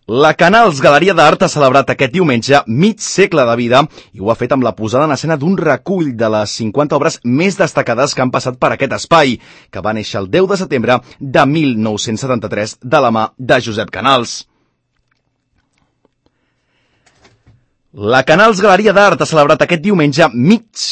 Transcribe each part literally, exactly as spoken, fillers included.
La Canals Galeria d'Art ha celebrat aquest diumenge mig segle de vida i ho ha fet amb la posada en escena d'un recull de les cinquanta obres més destacades que han passat per aquest espai, que va néixer el deu de setembre de mil nou-cents setanta-tres de la mà de Josep Canals. La Canals Galeria d'Art ha celebrat aquest diumenge mig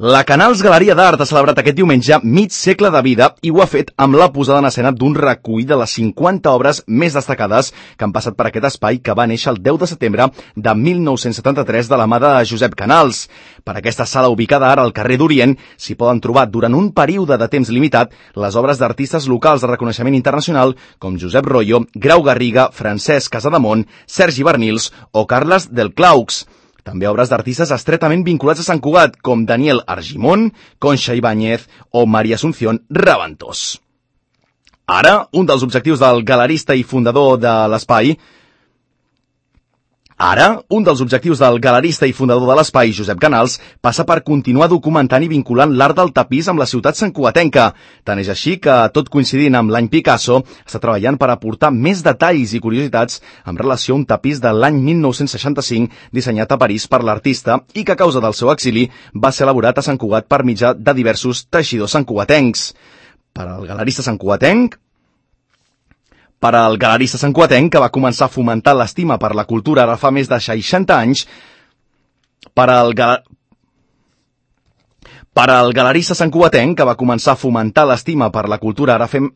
La Canals Galeria d'Art ha celebrat aquest diumenge mig segle de vida i ho ha fet amb la posada en escena d'un recull de les cinquanta obres més destacades que han passat per aquest espai que va néixer el deu de setembre de mil nou-cents setanta-tres de la mà de Josep Canals. Per aquesta sala ubicada ara al carrer d'Orient s'hi poden trobar durant un període de temps limitat les obres d'artistes locals de reconeixement internacional com Josep Royo, Grau Garriga, Francesc Casademont, Sergi Bernils o Carles del Claux. També obres d'artistes estretament vinculats a Sant Cugat, com Daniel Argimon, Concha Ibáñez o María Asunción Raventós. Ara, un dels objectius del galerista i fundador de l'espai Ara, un dels objectius del galerista i fundador de l'espai, Josep Canals, passa per continuar documentant i vinculant l'art del tapís amb la ciutat santcugatenca. Tant és així que, tot coincidint amb l'any Picasso, està treballant per aportar més detalls i curiositats en relació a un tapís de l'any mil nou-cents seixanta-cinc dissenyat a París per l'artista i que a causa del seu exili va ser elaborat a Sant Cugat per mitjà de diversos teixidors santcugatencs. Per al galerista santcugatenc, Per al galerista santcugatenc, que va començar a fomentar l'estima per la cultura ara fa més de seixanta anys, per al, gal... per al galerista santcugatenc, que va començar a fomentar l'estima per la cultura ara fem...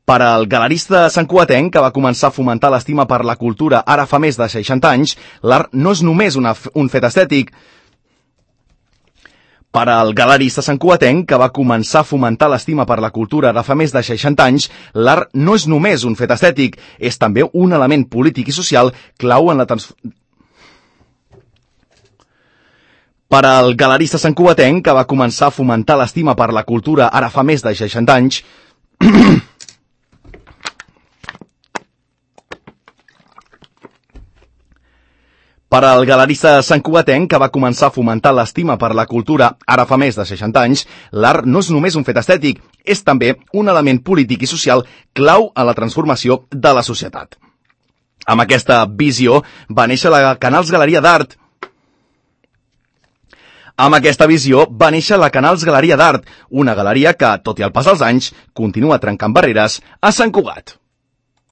Per al galerista santcugatenc, que va començar a fomentar l'estima per la cultura ara fa més de seixanta anys, l'art no és només una, un fet estètic. Per al galerista santcugatenc, que va començar a fomentar l'estima per la cultura ara fa més de seixanta anys, l'art no és només un fet estètic, és també un element polític i social clau en la transformació. Per al galerista santcugatenc, que va començar a fomentar l'estima per la cultura ara fa més de seixanta anys, Per al galerista santcugatenc, que va començar a fomentar l'estima per la cultura ara fa més de seixanta anys, l'art no és només un fet estètic, és també un element polític i social clau en la transformació de la societat. Amb aquesta visió va néixer la Canals Galeria d'Art. Amb aquesta visió va néixer la Canals Galeria d'Art, una galeria que, tot i el pas dels anys, continua trencant barreres a Sant Cugat.